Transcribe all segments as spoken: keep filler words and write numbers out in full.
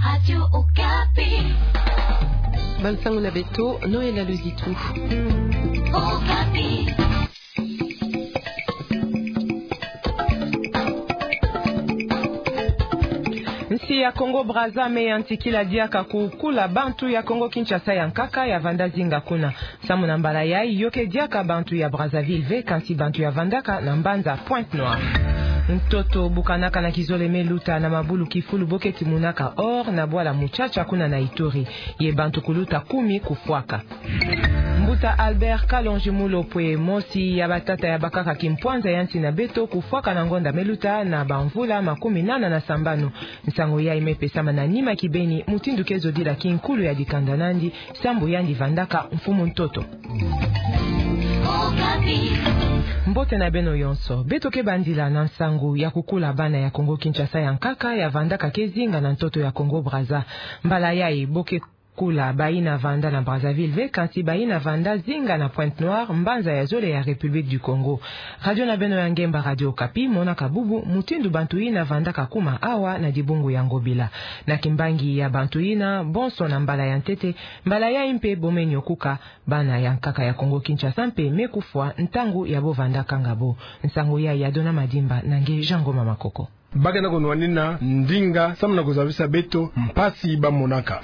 Radio Okapi. Bansango na beto, Noël Aluzitu. Okapi. Nsi ya Congo Brazza me yantikila diaka kukula bantu ya Congo Kinshasa ya nkaka ya vanda zinga kuna. Samu na mbala yayi, yo ke diaka bantu ya Brazzaville ve, kansi bantu ya vandaka na mbanza Pointe-Noire. Ntoto bukanaka na kizole me luta na mabulu kifulu bo ke timunaka or na bwala Mutsatsa kuna na Ituri. Ye bantu kuluta kumi kufwaka. Mbuta Albert Kalonji Mulopwe, mosi ya batata ya bakaka kimpwanza ya nsi na beto, kufwaka na ngonda me luta na bamvula makumi nana na sambanu. Nsangu yayi me pesama na nima kibeni, mutindu ke zodila kinkulu ya dikanda nandi, sambu yandi vandaka mfumu ntoto. Mbote na beno yonso. Beto ke bandila na nsangu ya kukula bana ya Congo Kinshasa ya nkaka ya vandaka ke zinga na ntoto ya Congo Brazza. Mbala yayi bo ke kula bayina vanda na Brazzaville ve, kansi bayina vanda zinga na Pointe-Noire, mbanza ya zole ya République du Congo. Radio na beno ya ngemba, Radio Okapi, monaka bubu mutindu bantu yina vandaka kuma awa na dibungu ya Ngobila. Na kimbangi ya bantu yina, bonso na mbala ya ntete, mbala yayi mpe bo me nyokuka, bana ya nkaka ya Congo Kinshasa mpe me kufwa ntangu ya bo vandaka ngabo. Nsangu yayi ya Dona Madimba na nge Jean Ngoma Makoko. Ba ke na kunwanina ndinga samu na kuzabisa beto mpasi ba monaka.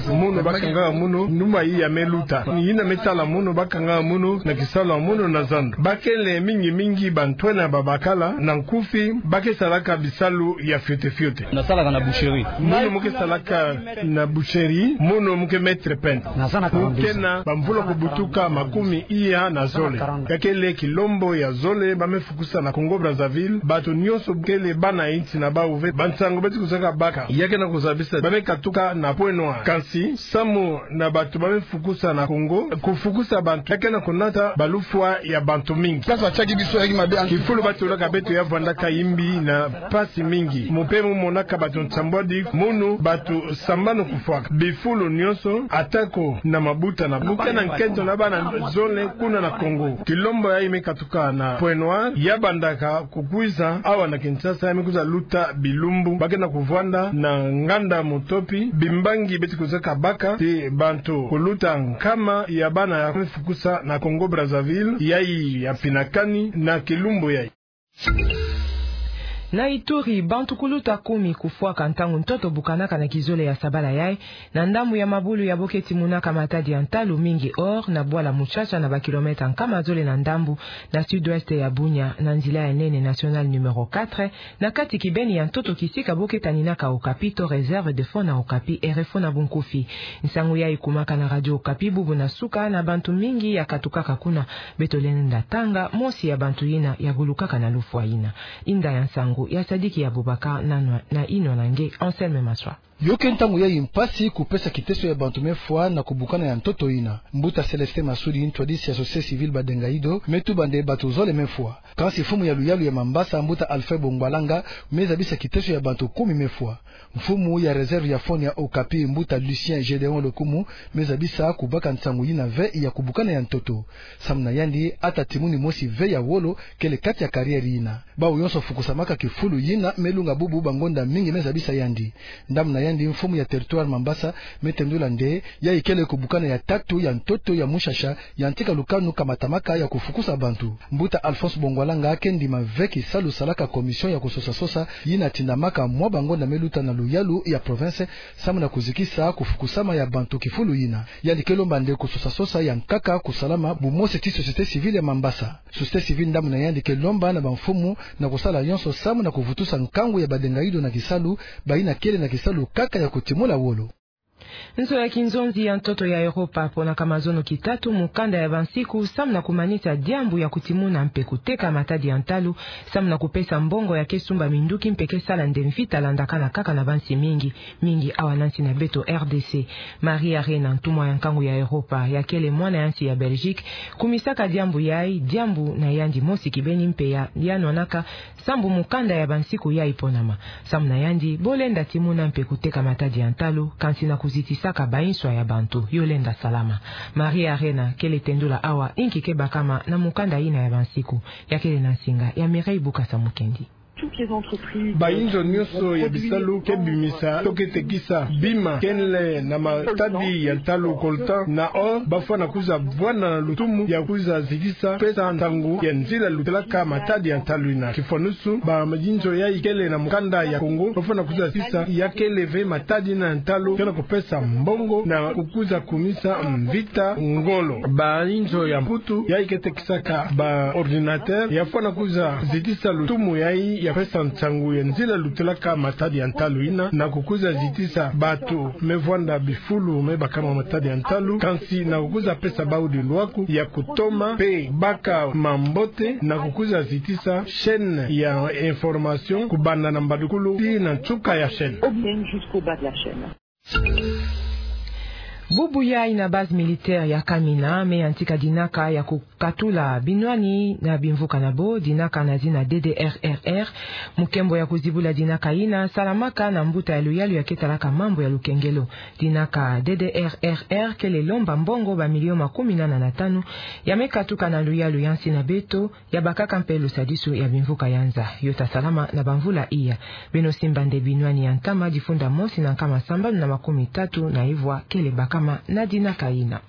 Mono ba kangaka mono, numa yina me luta. Yina me sala mono, ba kangaka mono na kisalu ya mono na zandu. Ba kele mingi mingi bantwenia babakala, na nkufi, ba ke salaka bisalu ya fioti fioti. Na salaka na boucherie. Mono mu ke salaka na boucherie, mono mu ke maître peintre. Mu ke na bamvula kubutuka makumi iya na zole. Ya kele kilombo ya zole ba me fukusa na Congo Brazzaville, bato nyonso kele bana ya nsi na bawu ve, bansangu beti kuzaka baka. Ya ke na kuzabisa, ba me katuka na Pointe-Noire. Kansi, samu na bato ba me fukusa na Congo, kufukusa bantu, ya ke na kunata balufwa ya bantu mingi. Kifulu ba tulaka beto ya vandaka yimbi na mpasi mingi. Mu mpe mu monaka bato nsambwadi, mono bato sambanu kufwaka. Bifulu nyonso, atako na mabuta na bo ke na nkento na bana zole kuna na Congo. Kilombo yayi me katuka na Pointe-Noire, ya bandaka kukwiza awa na Kinshasa, ya me kwiza luta bilumbu. Ba ke na kuvwanda na nganda Mutopi, bimbangi beti kuzaka baka, ti bantu kuluta nkama ya bana ya me fukusa na Congo Brazzaville, yayi ya finakani na kilumbu yayi. Na Ituri, bantu kuluta kumi kufwaka ntangu ntoto bukanaka na kizole ya sabala yayi, na ndambu ya mabulu ya bo ke timunaka matadi ya ntalu, mingi or, na bwala Mutsatsa na ba kilomètre nkama zole na ndambu, na sud-ouest ya Bunia, na nzila ya nene nationale numéro quatre, na kati kibeni ya ntoto kisika bo ke taninaka Okapi to réserve de fonds na Okapi, R F O na bunkufi. Nsangu yayi kumaka na Radio Okapi bubu na suka, na bantu mingi ya katukaka kuna. Beto lenda tanga mosi ya bantu yina ya gulukaka na lufwa yina. Inda ya nsangu ya Sadiki Abubakar na nwa-, na inwa na nge Anselme Maswa. Yo ke ntangu yayi mpasi kupesa kiteso ya bantu me fwa na kubukana ya ntoto yina. Mbuta Célestin Masudi, ntwadisi ya société civile Badenga Ido, me tuba nde bato zole me fwa. Kansi mfumu ya luyalu ya Mambasa, mbuta Alfred Bongwalanga, me zabisa kiteso ya bantu kumi me fwa. Mfumu ya réserve ya fonds ya Okapi, mbuta Lucien Gédéon Lokumu, me zabisa kubaka nsangu yina ve ya kubukana ya ntoto. Samu na yandi, ata timuni mosi ve ya wolo kele kati ya carrière yina. Bawu yonso fukusamaka kifulu yina me lunga bubu bangonda mingi, me zabisa yandi. Ndambu na yandi, mfumu ya territoire Mambasa me tendula nde yayi kele kubukana ya tatu ya ntoto ya mushasha yantika lukanu kamatamaka ya kufukusa bantu. Mbuta Alphonse Bongwalanga ke ndima ve kisalu salaka commission ya kusosa-sosa yina tindamaka mwa bangonda me luta na luyalu ya province, samu na kuzikisa kufukusama ya bantu kifulu yina. Yandi ke lomba nde kusosa-sosa ya nkaka kusalama bumosi ti société civile ya Mambasa. Société civile, ndambu na yandi, ke lomba na bamfumu na kusala yonso samu na kuvutusa nkangu ya Badenga Ido na kisalu, bayina kele na kisalu kaka ya kutimula wolo. Nzo ya kinzonzi ya ntoto ya Europa ponaka mazono kitatu mukanda ya bansiku samu na kumanisa diambu ya kutimuna mpe kuteka matadi ya ntalu, samu na kupesa mbongo ya ke sumba minduki mpe ke sala nde mvita landakana kaka na bansi mingi, mingi awa na nsi na beto R D C. Maria Arena, ntumwa ya nkangu ya Europa, ya kele mwana ya nsi ya Belgique, kumisaka diambu yayi, diambu na yandi mosi kibeni mpe ya, ya nwanaka sambu mukanda ya bansiku yayi ponama. Samu na yandi, bo lenda timuna mpe kuteka matadi ya ntalu, kansi na kuzitisaka banswa ya bantu, yo lenda salama. Maria Arena kele tendula awa inki ke bakama na mukanda yina ya bansiku, ya kele na nsinga ya Mireille Bukasa Mukendi. Bainzo nyonso ya bisalu ke bimisa to ke tekisa bima kele na matadi ya ntalu coltan, na o bafwana kwiza vwanda na lutumu ya kwiza zitisa pesa ntangu ya nzila lutelaka matadi ya ntalu ina. Kifwanusu, bainzo yayi kele na mukanda ya Kongo bafwana kwiza zitisa ya kele ve matadi na ntalu kena kupesa mbongo na kukwiza kumisa mvita ngolo. Bainzo ya Mputu yayi ke tekisaka ba ordinateur yafwana kwiza zitisa lutumu yayi ya pesa ntangu ya nzila lutelaka matadi ya ntalu ina, na kukwiza zitisa batu me vwanda bifulu me bakama matadi ya ntalu, kansi na kukwiza pesa bau dilwaku ya kutoma pe baka mambote, na kukwiza zitisa chaîne ya information kubanda na mbadukulu tii na nsuka ya chaîne. Obscène jusqu'au bas de la chaîne. Bubu yayi na base militaire ya Kamina me yantika dinaka ya kukatula binwani na bimvuka na bo, dinaka na zina D D R R R. Mukembo ya kuzibula dinaka ina salamaka na mbuta ya luyalu ya ke talaka mambu ya lukengelo. Dinaka D D R R R kele lomba mbongo ba milio makumi nana na tanu ya me katuka na luyalu ya nsi na beto, ya bakaka mpe lusadisu ya bimvuka ya nza. Yo ta salama na bamvula iya. Beno simba nde binwani ya ntama difunda mosi na nkama sambanu na makumi tatu na ivwa kele bakama na dinaka ina.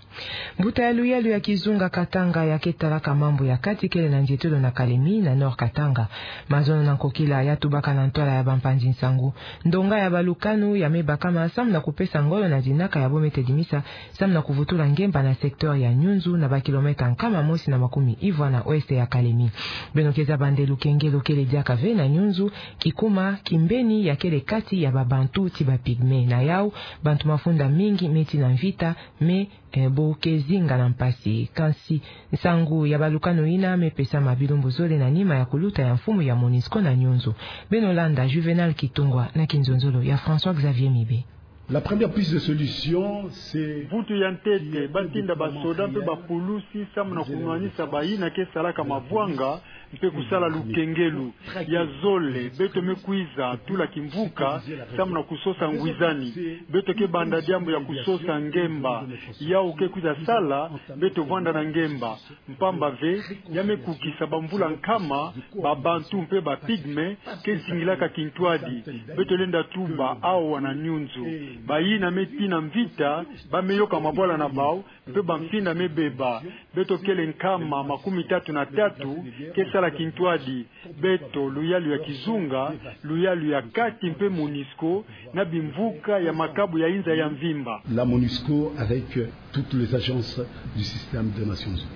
Mbuta ya luyalu ya kizunga Katanga ya ke talaka mambu ya kati kele na nzietolo na Kalemi na Nord Katanga. Mazono na nkokila ya tubaka na ntwala ya bampanzi nsangu. Ndonga ya balukanu ya me bakama samu na kupesa ngolo na dinaka ya bo me tedimisa samu na kuvutula ngemba na secteur ya Nyunzu na ba kilomètre nkama mosi na makumi ivwa na ouest ya Kalemi. Beno ke zaba nde lukengelo kele diaka ve na Nyunzu, kikuma kimbeni ya kele kati ya ba Bantu ti ba Pygmées. Na yau, bantu mafunda mingi me tii na mvita, me, eh, bo ke zinga na mpasi. Kansi nsangu ya balukanu ina me pesama bilumbu zole na nima ya kuluta ya mfumu ya Monusco na Nyunzu. Beno landa Juvenal Kitungwa na kinzonzolo ya François Xavier Mibe. La première piste de solution, c'est... Mvutu ya ntete, ba tinda basoda mpe bapulusi samu na kunwanisa bayina ke salaka mavwanga mpe kusala lukengelo. Ya zole, beto me kwiza tula kimvuka samu na kusosa ngwizani. Beto ke banda diambu ya kusosa ngemba. Yau ke kwiza sala beto vwanda na ngemba. Mpamba ve, ya me kukisa bamvula nkama, ba Bantu mpe ba Pygmées ke zingilaka kintwadi. Beto lenda tuba awa na Nyunzu. Bayina me tii na mvita, ba me yoka mabwala na bau, mpe bamfinda me beba. Beto kele nkama makumi tatu na tatu ke sala kintwadi. Beto, luyalu ya kizunga, luyalu ya kati mpe Monusco, na bimvuka ya makabu ya inza ya mvimba. La Monusco avec toutes les agences du système des Nations Unies.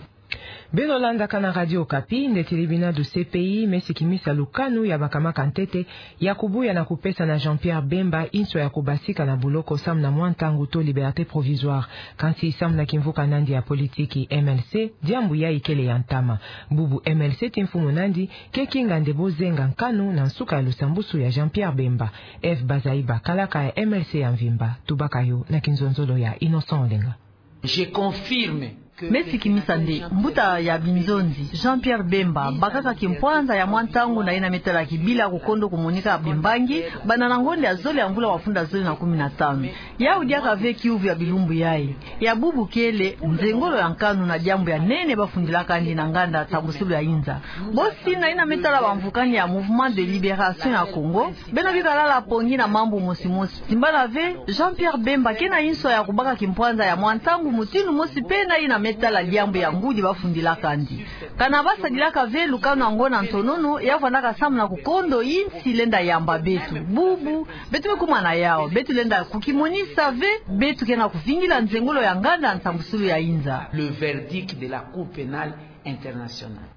Beno landaka na Radio Okapi nde tribunal du C P I me sikimisa lukanu ya bakamaka ntete ya kubuya na kupesa na Jean-Pierre Bemba inso ya kubasika na buloko samu na mwa ntangu to liberté provisoire. Kansi samu na kimvuka na yandi ya politiki M L C, diambu yayi kele ya ntama. Bubu M L C ti mfumu na yandi ke kinga nde bo zenga nkanu na nsuka ya lusambusu ya Jean-Pierre Bemba. Eve Bazaiba, kalaka ya M L C ya mvimba, tubaka yo na kinzonzolo ya Innocent Olenga. Je confirme que... Me sikimisa nde mbuta ya binzonzi, Jean-Pierre Bemba, bakaka kimpwanza ya mwa ntangu na yina me tala kibila kukondo kumonika bimbangi, banda na ngonda ya zole ya mvula mafunda zole na kumi na tanu. Yau diaka ve kiuvu ya bilumbu yayi. Ya bubu kele nzengolo ya nkanu na diambu ya nene bafundilaka yandi na nganda nsambusulu ya inza. Bosi na yina me tala bamvukani ya Mouvement de Libération ya Congo, beno bika lala pongi na mambu mosi mosi. Timbala ve, Jean-Pierre Bemba ke na inso ya kubaka kimpwanza ya mwa ntangu mutindu mosi mpe na yina me tala diambu ya ngudi bafundilaka yandi. Kana basadilaka ve lukanu yango na ntonono, ya vwandaka samu na kukondo insi lenda yamba beto. Bubu, beto me kuma na yau, beto lenda kukimonisa ve, beto ke na kuvingila nzengolo ya nganda nsambusulu ya inza. Le verdict de la Cour pénale internationale.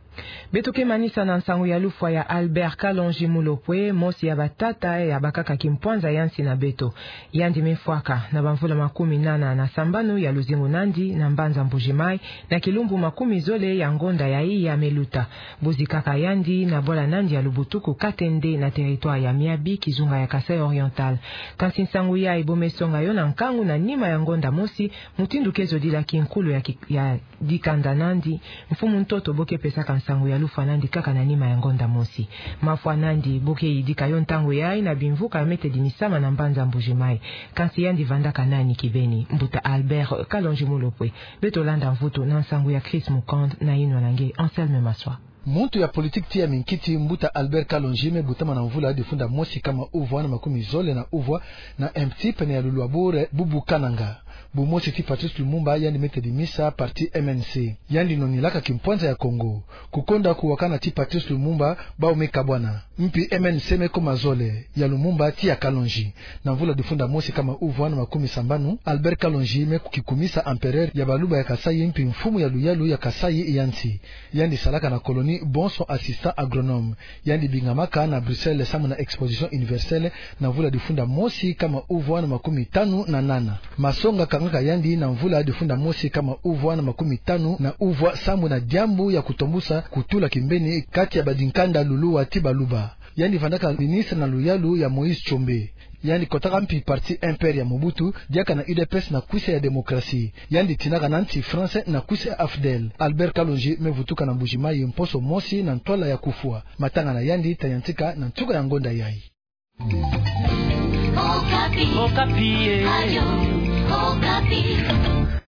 Beto ke manisa na nsangu ya lufwa ya Albert Kalonji Mulopwe, mosi ya batata ya bakaka kimpwanza ya nsi na beto. Yandi me fwaka na bamvula makumi nana na sambanu ya luzingu na yandi na mbanza Mbuji-Mayi, na kilumbu makumi zole ya ngonda yayi ya me luta. Bozikaka yandi na bwala na yandi ya Lubutuku Katende na territoire ya Miabi, kizunga ya Kasaï Oriental. Kansi nsangu yayi bo me songa yo na nkangu na nima ya ngonda mosi, mutindu ke zodila kinkulu ya ki-, ya dikanda na yandi, mfumu ntoto bo ke pesaka nsangu ya lufwa na yandi kaka na nima ya ngonda mosi. Mafwa na yandi bo ke yidika yo ntangu yayi na bimvuka ya me tedimisama na mbanza Mbuji-Mayi. Kansi yandi vandaka nani kibeni? Mbuta Albert Kalonji Mulopwe. Beto landa mvutu na nsangu ya Chris Mukand na yinwa na nge Anselme Maswa. Muntu ya politiki ti ya minkiti, mbuta Albert Kalonji, me butama na mvula difunda mosi kama uvwa na makumi zole na uvwa na M T pene ya lulwabure Bubu Kananga. Bumosi ti Patrice Lumumba yandi me tedimisa parti M N C. Yandi nonilaka kimpwanza ya Kongo. Kukonda kuwakana ti Patrice Lumumba, bau me kabwana. Mpi M N C me koma zole, ya Lumumba ti ya Kalonji. Na mvula difunda mosi kama uvwa na makumi sambanu, Albert Kalonji me kukikumisa empereur ya Baluba ya Kasaï mpi mfumu ya luyalu ya Kasaï ya nsi. Yandi salaka na colonie Bonson, assistant agronome. Yandi bingamaka na Bruxelles samu na exposition universelle na mvula difunda mosi kama uvwa na makumi tanu na nana. Masonga kangaka yandi na mvula difunda mosi kama uvwa na makumi tanu na uvwa samu na diambu ya kutombusa kutula kimbeni kati ya badinkanda luluwa ti Baluba. Yandi vandaka ministre na luyalu ya Moïse Tshombe. Yandi kotaka mpi parti M P R ya Mobutu, diaka na U D P S na kwisa ya démocratie. Yandi tinaka na nsi France na kwisa ya AFDEL. Albert Kalonji me vutuka na Mbuji-Mayi mposo mosi na ntwala ya kufwa. Matanga na yandi tayantika na nsuka ya ngonda yayi. Okapi. Okapi, eh. Radio Okapi.